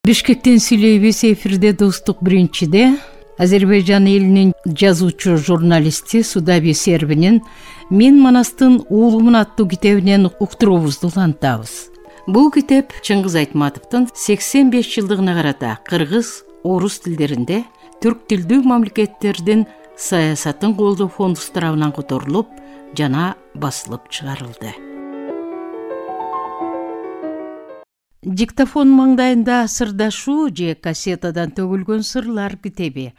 Бишкектен сүйлөйбүз. Эфирде Достук биринчиде Азербайжан элинин жазуучу журналисти Судаби Сербинин «Мен Манастын уулумун» аттуу китебинен уктуруубузду улантабыз. Бул китеп Чыңгыз Айтматовдун 85 жылдыгына карата кыргыз, орус тилдеринде түрк тилдүү мамлекеттердин саясатын колдоо фонду тарабынан которулуп жана басылып чыгарылды. Диктофон маңдайында сырдашуу же кассетадан төгүлгөн сырлар китеби.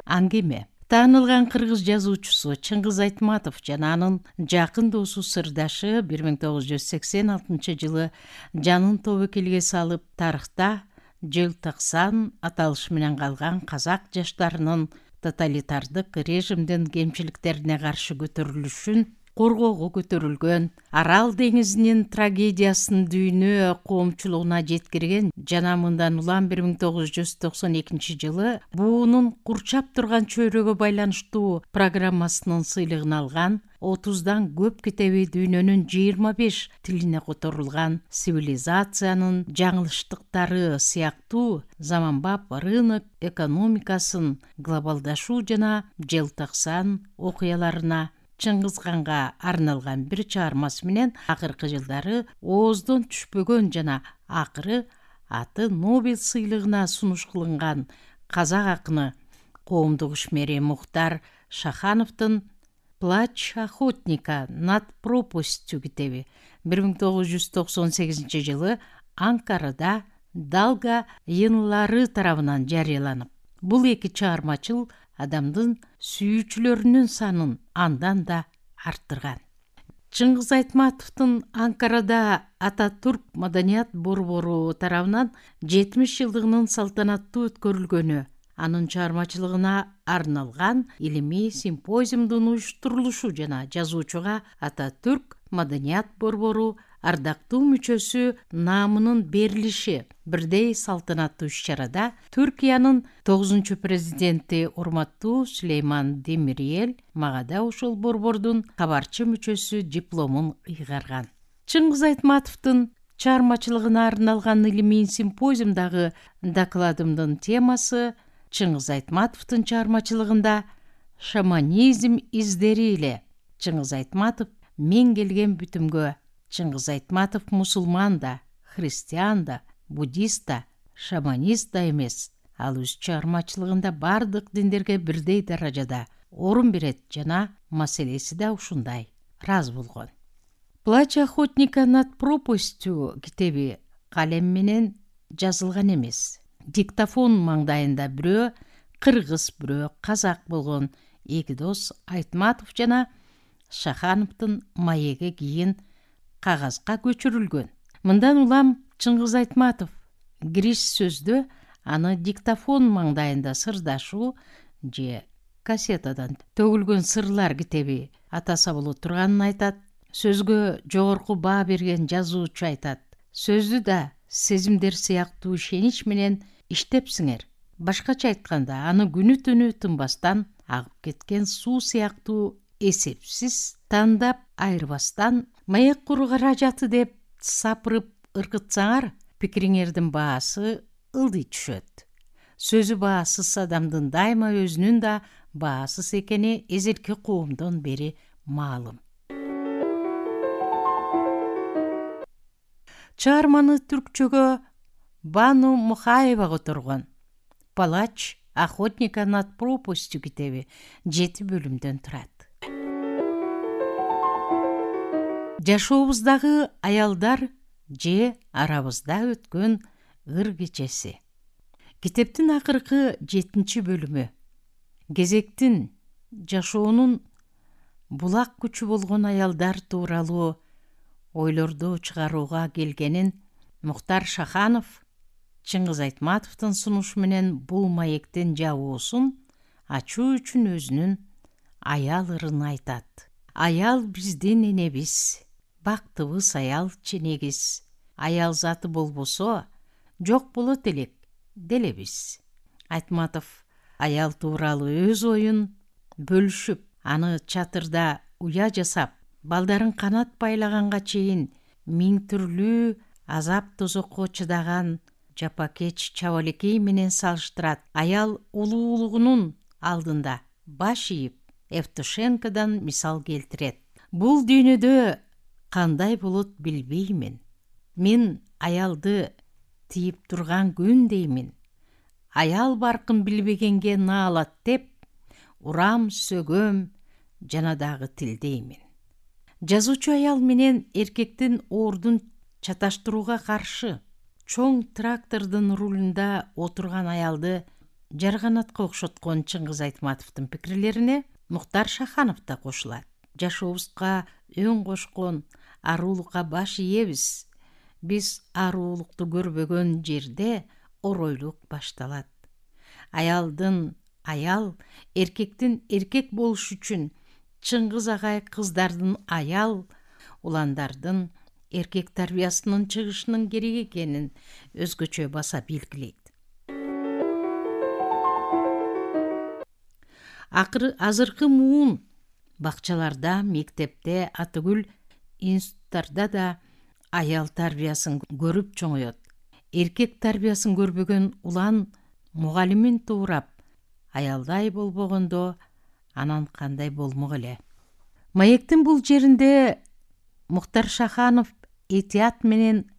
Аңгеме. Таанылган кыргыз жазуучусу Чыңгыз Айтматов жана анын жакын досу сырдашы 1986 жылы жанын тобокелге салып тарыхта желтоқсан аталышы менен калган казак жаштарынын тоталитардык режимдин кемчиликтерине каршы көтөрүлүшүн коргоого көтөрүлгөн, Арал деңизинин трагедиясын дүйнө коомчулугуна жеткирген жана мындан улам 1992 жылы буунун курчап турган чөйрөгө байланыштуу программасынын сыйлыгын алган 30дан көп китеби дүйнөнүн 25 тилине которулган цивилизациянын жаңылыштыктары сыяктуу заманбап рынок экономикасын, глобалдашуу жана желтоқсан окуяларына Чыңгыз ханга арналган бир чыгармасы менен акыркы жылдары ооздон түшпөгөн жана акыры аты Нобель сыйлыгына сунуш кылынган казак акыны коомдук ишмери Мухтар Шахановдун «Плач охотника над пропастью» китеби 1998 жылы Анкарада Далга йыйынлары тарабынан жарыяланып, бул эки чыгармачыл адамдын сүйүүчүлөрүнүн санын андан да арттырган. Чыңгыз Айтматовдун Анкарада Ататүрк маданият борбору тарабынан 70 жылдыгынын салтанаттуу өткөрүлгөнү, анын чыгармачылыгына арналган илимий симпозиумдун уюштурулушу жана жазуучуга Ататүрк маданият борбору ардактуу мүчөсү наамынын берилиши бирдей салтанаттуу иш-чарада Түркиянын 9-президенти урматтуу Сүлейман Демирел мага да ошол борбордун кабарчы мүчөсү дипломун ыйгарган. Чыңгыз Айтматовдун чыгармачылыгына арналган илимий симпозиумдагы докладымдын темасы Чыңгыз Айтматовдун чыгармачылыгында шаманизм издери эле. Чыңгыз Айтматов мен келген бүтүмгө. Чыңгыз Айтматов мусулман да, христиан да, буддист да, шаманист да эмес. Ал өз чыгармачылыгында бардык диндерге бирдей даражада орун берет жана маселеси да ушундай. Раз болгон. «Плач охотника над пропастью» китеби калем менен жазылган эмес. Диктофон маңдайында бирөө кыргыз, бирөө казак болгон эки дос Айтматов жана Шахановдун маеги кийин кагазга көчүрүлгөн. Мындан улам Чыңгыз Айтматов кириш сөздө аны диктофон маңдайында сырдашуу же кассетадан төгүлгөн сырлар китеби атаса боло турганын айтат. Сөзгө жогорку баа берген жазуучу айтат: сөздү да сезимдер сыяктуу ишенич менен иштепсиңер. Башкача айтканда, аны күнү түнү тынбастан агып кеткен суу сыяктуу эсепсиз тандап айырбастан маек куру каражаты деп сапырып ыркытсаңар, пикириңердин баасы ылдый түшөт. Сөзү баасыз адамдын дайыма өзүнүн да баасыз экени эзелки коомдон бери маалым. Чыгарманы түркчөгө Бану Мухаева которгон. «Плач охотника над пропастью» китеби 7 бөлүмдөн турат. Жашообуздагы аялдар же арабызда өткөн ыр кечеси. Китептин акыркы 7 бөлүмү кезектин жашоонун булак күчү болгон аялдар тууралуу ойлорду чыгарууга келгенин Мухтар Шаханов Чыңгыз Айтматовдун сунушу менен бул маектин жабуусун ачуу үчүн өзүнүн аял ырын айтат. Аял биздин энебиз, бактыбыз аял ченегиз. Аял заты болбосо жок болот элек делебиз. Айтматов аял тууралуу өз оюн бөлүшүп, аны чатырда уя жасап, балдарын канат байлаганга чейин миң түрлүү азап тозокко чыдаган жапакеч чабалекей менен салыштырат. Аял улуулугунун алдында баш ийип Евтушенкодон мисал келтирет. Бул дүйнөдө кандай болот билбеймин. Мен аялды тийип турган күн деймин. Аял баркын билбегенге наалат деп, урам сөгөм жана дагы тилдеймин. Жазуучу аял менен эркектин ордун чаташтырууга каршы. Чоң трактордун рулунда отурган аялды жарганатка окшоткон Чыңгыз Айтматовдун пикирлерине Муктар Шаханов да кошулат. Жашообузга өн кошкон арулукка баш ийебиз. Биз арулукту көрбөгөн жерде оройлук башталат. Аял, эркектин эркек болуш үчүн Чыңгыз агай кыздардын аял, уландардын эркек тарбиясынын чыгышынын керек экенин өзгөчө баса белгилейт. Азыркы муун бакчаларда, мектепте, атүгүл институттарда да аял тарбиясын көрүп чоңоет. Эркек тарбиясын көрбөгөн улан мугалимин туурап, аялдай болбогондо анан кандай болмок эле. Маектин бул жеринде Муктар Шаханов этият менен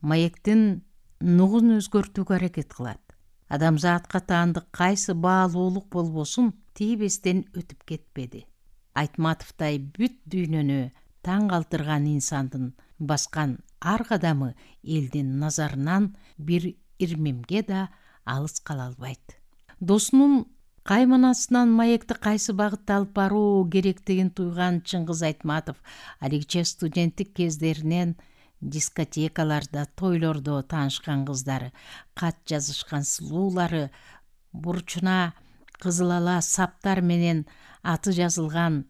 маектин нугун өзгөртүүгө аракет кылат. Адамзатка таандык кайсы баалуулук болбосун тийбестен өтүп кетпеди. Айтматовдай бүт дүйнөнү таң калтырган инсандын баскан ар кадамы элдин назарынан бир ирмемге да алыс кала албайт. Досунун кайманасынан маекти кайсы багытта алып баруу керектигин туйган Чыңгыз Айтматов алигиче студенттик кездеринен дискотекаларда, тойлордо таанышкан кыздары, кат жазышкан сулуулары, бурчуна кызыл ала саптар менен аты жазылган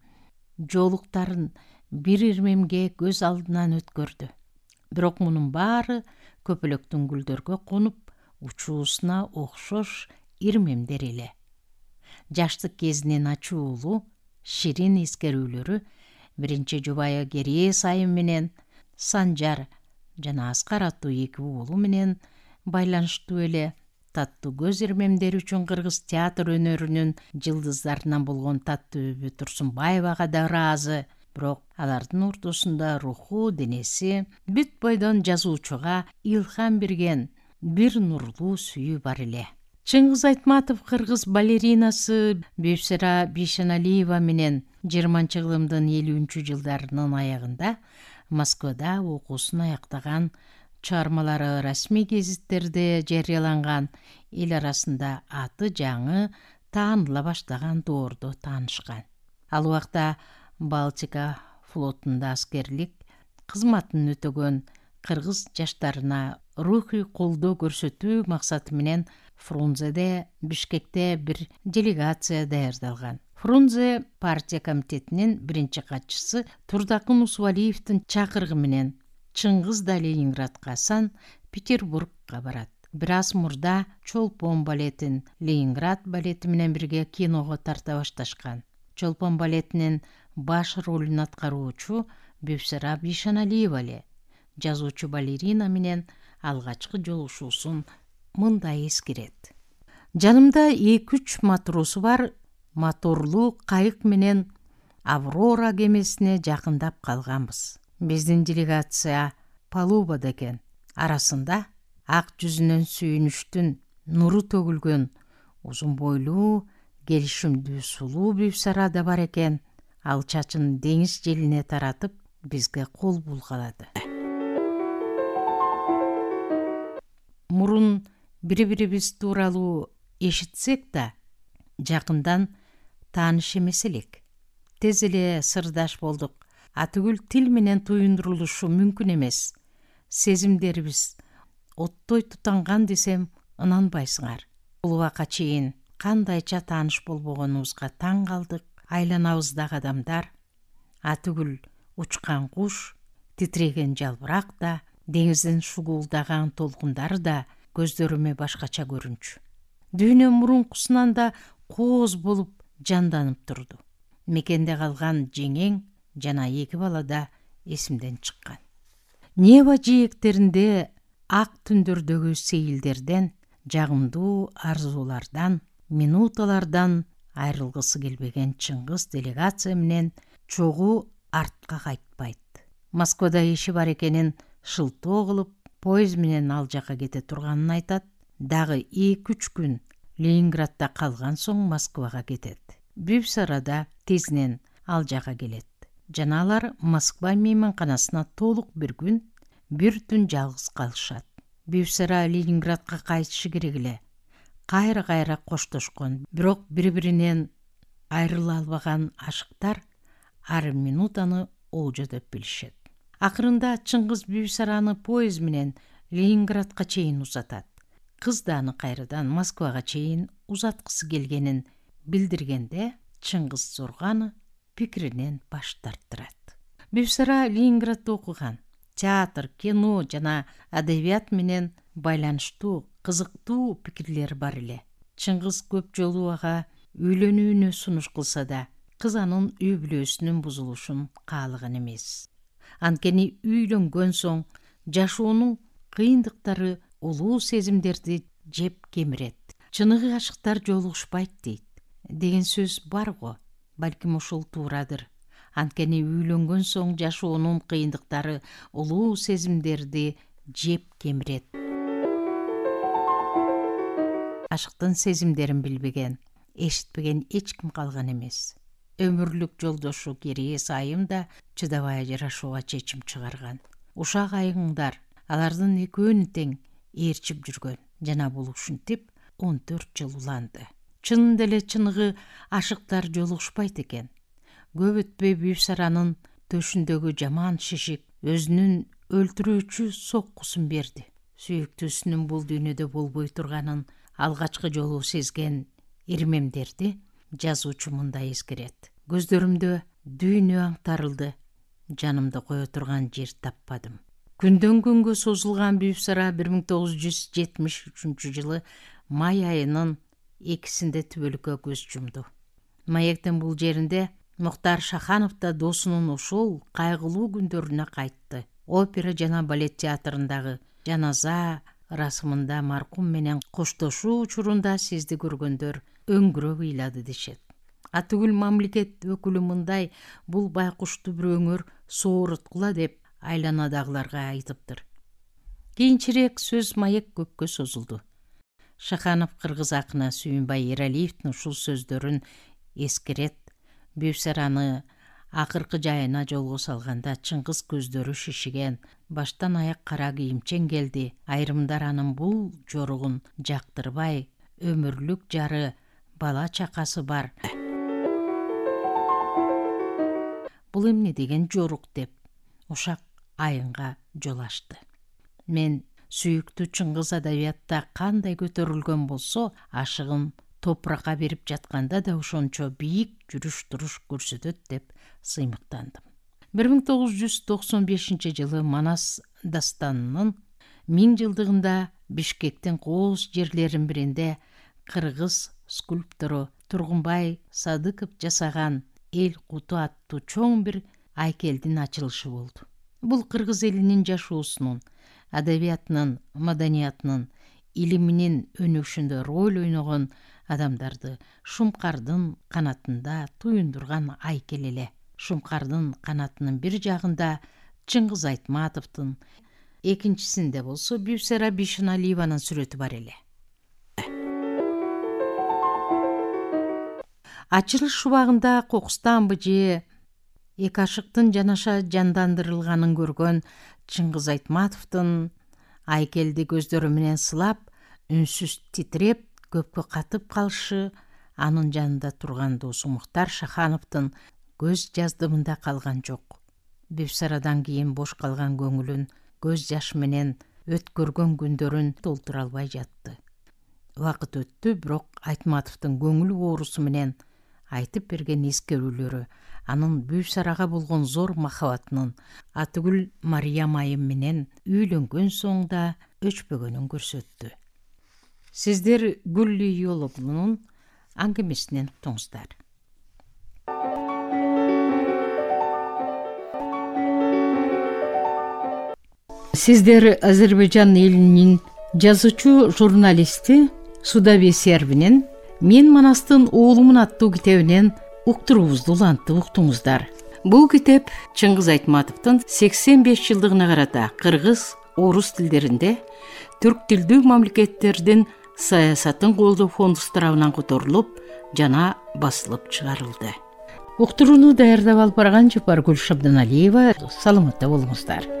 жолуктарын бир ирмемге көз алдынан өткөрдү. Бирок мунун баары көпөлөктүн гүлдөргө конуп, учуусуна окшош ирмемдер эле. Жаштык кезинин ачуулуу, ширин эскерүүлөрү биринчи жубайы Керие Сайым менен Санжар жана Аскар аттуу эки уулу менен байланыштуу эле. Таттуу көз ирмемдери үчүн кыргыз театр өнөрүнүн жылдыздарынан болгон Таттыбүбү Турсунбаевага да ыраазы. Бирок алардын ортосунда руху, денеси бүт бойдон жазуучуга илхам берген бир нурлуу сүйүү бар эле. Чыңгыз Айтматов кыргыз балеринасы Бюйсара Бишеналиева менен 20-кылымдын 50-жылдарынын аягында Москвада окуусун аяктаган, чыгармалары расмий гезиттерде жарыяланган, эл арасында аты жаңы тааныла баштаган доордо таанышкан. Ал убакта Балтика флотунда аскерлик кызматын өтөгөн кыргыз жаштарына рухий колдоо көрсөтүү максаты менен Фрунзеде, Бишкекте бир делегация даярдалган. Фрунзе партия комитетинин биринчи катчысы Турдакын Усубалиевдин чакырыгы менен Чыңгыз да Ленинградка, Санкт-Петербургка барат. Бир аз мурда Чолпон балетин Ленинград балети менен бирге киного тарта башташкан. Чолпон балетинин баш ролун аткаруучу Бюйсара Бишеналиева эле жазуучу балерина менен алгачкы жолугушуусун мындай эскерет. Жанымда 2-3 матросу бар, моторлуу кайык менен Аврора кемесине жакындап калганбыз. Биздин делегация палубада экен. Арасында ак жүзүнөн сүйүнүштүн нуру төгүлгөн узун бойлуу, келишимдүү сулуу Бюйсара да бар экен. Ал чачын деңиз желине таратып, бизге кол булгалады. Мурун бири-бирибиз тууралуу эшитсек да, жакындан тааныш эмес элек. Тез эле сырдаш болдук. Атүгүл тил менен туюндурулушу мүмкүн эмес. Сезимдерибиз оттой тутанган десем ынанбайсыңар. Бул убакка чейин кандайча тааныш болбогонубузга таң калдык. Айланабыздагы адамдар, атүгүл учкан куш, титреген жалбырак да, деңиздин шугуулдаган толкундары да көздөрүмө башкача көрүнчү. Дүйнө мурункусунан да кооз болуп жанданып турду. Мекенде калган жеңең жана 2 бала да эсимден чыккан. Нева жээктеринде ак түндөрдөгү сейилдерден, жагымдуу арзуулардан, минуталардан айрылгысы келбеген Чыңгыз делегация менен чогуу артка кайтпайт. Москвада иши бар экенин шылтоо кылып, поезд менен ал жака кете турганын айтат. Дагы 2-3 күн Ленинградда калган соң Москвага кетет. Бүбүс арада тезинен ал жака келет. Жана алар Москва мейманканасына толук бир күн, бир түн жалгыз калышат. Бүбүс ара Ленинградка кайтышы керек эле. Кайра-кайра коштошкон, бирок бири-биринен айрыла албаган ашыктар ар минутаны олжо деп билишет. Акырында Чыңгыз Бүбүс араны поезд менен Ленинградка чейин узатат. Кыз да аны кайрадан Москвага чейин узаткысы келгенин билдиргенде, Чыңгыз Зорганы пикиринен баш тарттырат. Бүбүс ара Ленинградда окуган. Театр, кино жана адабият менен байланыштуу, кызыктуу пикирлери бар эле. Чыңгыз көп жолу ага үйлөнүүнү сунуш кылса да, кыз анын үй бүлөсүнүн бузулушун каалаган эмес. Анткени үйлөнгөн соң жашоонун кыйындыктары улуу сезимдерди жеп кемирет. Чыныгы ашыктар жолугушпайт дейт деген сөз бар го. Балким ушул туурадыр. Анткени үйлөнгөн соң жашоонун кыйындыктары улуу сезимдерди жеп кемирет. Ашыктын сезимдерин билбеген, эшитпеген эч ким калган эмес. Өмүрлүк жолдошу Керээс айым да чыдабай ажырашууга чечим чыгарган. Ушак айыңдар алардын экөөнү тең ээрчип жүргөн жана бул ушинтип 14 жыл уланды. Чынында эле чыныгы ашыктар жолугушпайт экен. Көп өтпөй Бүбүс аранын төшүндөгү жаман шишик өзүнүн өлтүрүүчү соккусун берди. Сүйүктүүсүнүн бул дүйнөдө болбой турганын алгачкы жолу сезген ирмемдерди жазуучу мындай эскерет. Көздөрүмдө дүйнө аңтарылды, жанымды кое турган жер таппадым. Күндөн күнгө созулган Бүбүс ара 1973 жылы май айынын 2-синде түбөлүккө көз жумду. Маектин бул жеринде Мухтар Шаханов да досунун ошол кайгылуу күндөрүнө кайтты. Опера жана балет театрындагы жаназа расымында маркум менен коштошуу учурунда сизди көргөндөр өңгүрөп ыйлады дешет. Атүгүл мамлекет өкүлү мындай: бул байкушту бир өңөр сооруткула деп айланадагыларга айтыптыр. Кийинчерээк сөз маек көпкө созулду. Шаханов кыргыз акыны Сүйүнбай Эралиевдин ушул сөздөрүн эскерет. Бүбүс араны акыркы жайына жолго салганда Чыңгыз көздөрү шишиген, баштан аяк кара кийимчен келди. Айрымдар анын бул жоругун жактырбай, өмүрлүк жары, бала чакасы бар. Бул эмне деген жорук деп ушак айынга жол ачты. Мен сүйүктүү Чыңгыз адабиятта кандай көтөрүлгөн болсо, ашыгын топуракка берип жатканда да ошончо бийик жүрүш-туруш көрсөтөт деп сыймыктандым. 1995 жылы Манас дастанынын 1000 жылдыгында Бишкектин кооз жерлеринин биринде кыргыз скульптору Тургунбай Садыков жасаган эл куту аттуу чоң бир айкелдин ачылышы болду. Бул кыргыз элинин жашоосунун, адабиятынын, маданиятынын, илиминин өнүгүшүндө роль ойногон адамдарды Шумкардын канатында туюндурган айкел эле. Шумкардын канатынын бир жагында Чыңгыз Айтматовдун, экинчисинде болсо Бүбүс ара Бишеналиеванын сүрөтү бар эле. Ачылыш убагында кокустан же эки ашыктын жанаша жандандырылганын көргөн Чыңгыз Айтматовдун айкелди көздөрү менен сылап, үнсүз титиреп, көпкө катып калышы анын жанында турган досу Мухтар Шахановдун көз жаздымында калган жок. Бүбүс арадан кийин бош калган көңүлүн көз жаш менен өткөргөн күндөрүн толтура албай жатты. Убакыт өттү, бирок Айтматовдун көңүл оорусу менен айтып берген эскерүүлөрү анын Бүбүс арага болгон зор махабатынын, атүгүл Мариям айым менен үйлөнгөн соң да өчпөгөнүн көрсөттү. Сиздер Гүллү Йоловнун аңгемесинен уктуңуздар. Сиздер Азербайжан элинин жазуучу журналисти Судабий Сербинин «Мен Манастын уулумун» аттуу китебинен уктуруубузду улантып уктуңуздар. Бул китеп Чыңгыз Айтматовдун 85 жылдыгына карата кыргыз, орус тилдеринде түрк тилдүү мамлекеттердин саясатын колдоо фонду тарабынан которулуп жана басылып чыгарылды. Уктурууну даярдап алып барган Жапаргүл Шабданалиева. Саламатта болуңуздар.